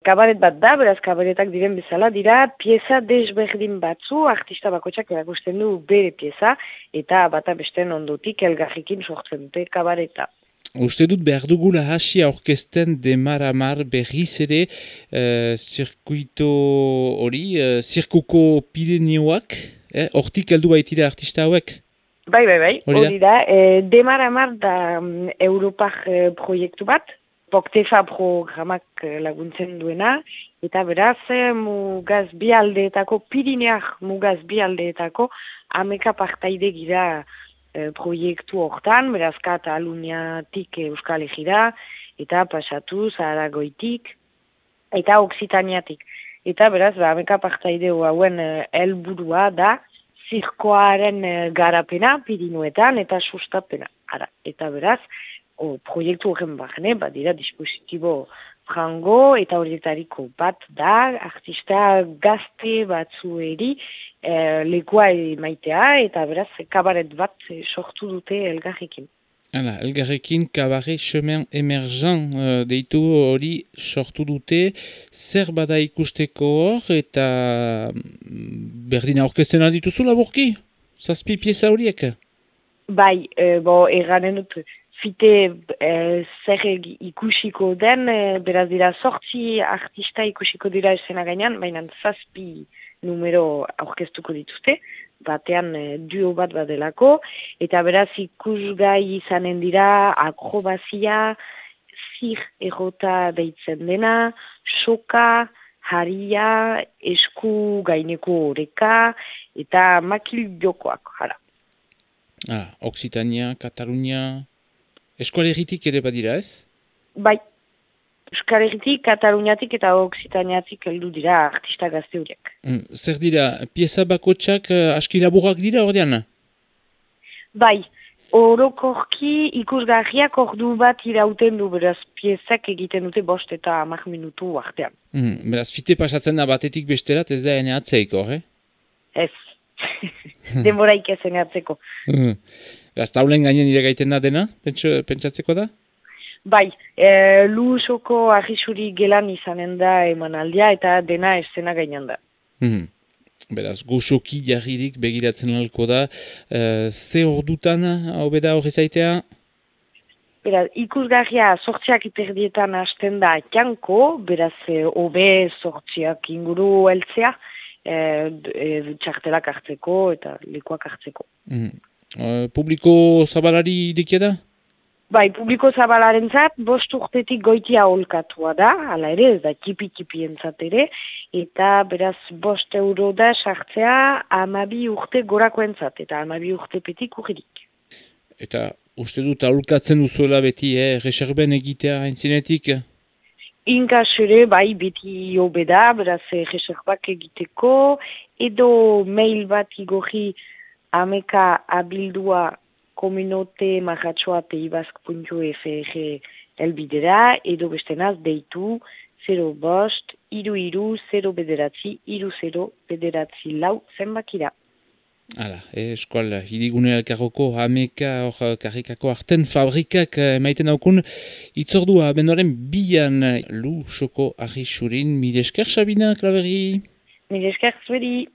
Kabaret bat da, beraz kabaretak diren bezala dira, pieza desberdin batzu, artista bakotxak erakusten du bere pieza, eta bata besteen ondotik elgarrikin sortzen dute kabareta. Uste dut behar dugula hasi aurkezten Demaramar berriz ere zirkuito hori, zirkuko Pireneoak, hortik heldu baitira artista hauek? Bai, hori da. Demaramar da Europar proiektu bat, Poktefa programak laguntzen duena, eta beraz mugaz bi aldeetako, Pirineak mugaz bi aldeetako, ameka partaide gira proiektu hortan, beraz Kataluniatik Euskal Herrira, eta pasatuz Aragoitik, eta Oksitaniatik. Eta beraz, ameka partaide hauen helburua da, zirkoaren garapena Pirinuetan eta sustapena. Eta beraz, proiektu horren barne, badira dispositibo frango eta horietariko bat da, artista gazte batzueri lekua maitea eta beraz kabaret bat sortu dute elgarrekin. Elgarrekin kabaret chemin emergent deitu hori sortu dute, zer bada ikusteko hor eta berdina orkesten aldituzu laburki? Zazpi pieza horiek? Bai, erranen dut, fite zer ikusiko den, beraz dira sortzi artista ikusiko dira esena gainean, baina zazpi numero aurkeztuko dituzte, batean duo bat badelako, eta beraz ikusgai izanen dira akrobazia, zir errota deitzen dena, soka, haria, esku gaineko oreka, eta makil jokoak, jara. Oksitania, Katalunia, Euskal Herritik ere badira ez? Bai, Euskal Herritik, Kataluniatik eta Oksitaniatik heldu dira artista gazte horiek. Zer dira, pieza bakotxak aski laburrak dira ordean? Bai, orokorki ikusgarriak ordu bat irauten du, beraz piezak egiten dute 5 eta 10 minutu artean. Beraz, fite pasatzen da batetik besterat ez da ene atzeiko, Ez. Denboraik ezen atzeko. Beraz, taulen gainen ire gaiten da dena, pentsatzeko da? Bai, Lusoko arrisuri gelan izanen da emanaldia eta dena esena gainan da. Beraz, goxoki jarririk begiratzen alko da. Ze ordutan hobeda horri zaitea? Beraz, ikusgarria sortziak iperdietan hasten da janko, beraz, hobe sortziak inguru heltzea, txartelak hartzeko eta lekuak hartzeko. Publiko zabalari irikia da? Bai, publiko zabalaren zat, 5 urtetik goitia holkatua da, hala ere, ez da tipi entzat ere, eta beraz 5 euro da sartzea 12 urte gorakoentzat, eta 12 urte petik urririk. Eta uste dut aholkatzen duzuela beti, reserben egitea haintzinetik? Inkas ere, bai, beti hobeda, beraz reserbak egiteko, edo mail bat igorri ameka abildua kominote marratxoa.ibazk.fr elbidera, edo bestenaz deitu 05 33 0 bederatzi lau zenbakira. Hala, eskual hirigune elkarroko ameka hor karrikako arten fabrikak maiten daukun itzordua bendoren bian Lusoko arrisurin. Mil esker, Sabina Klaberri? Mil esker, zueri.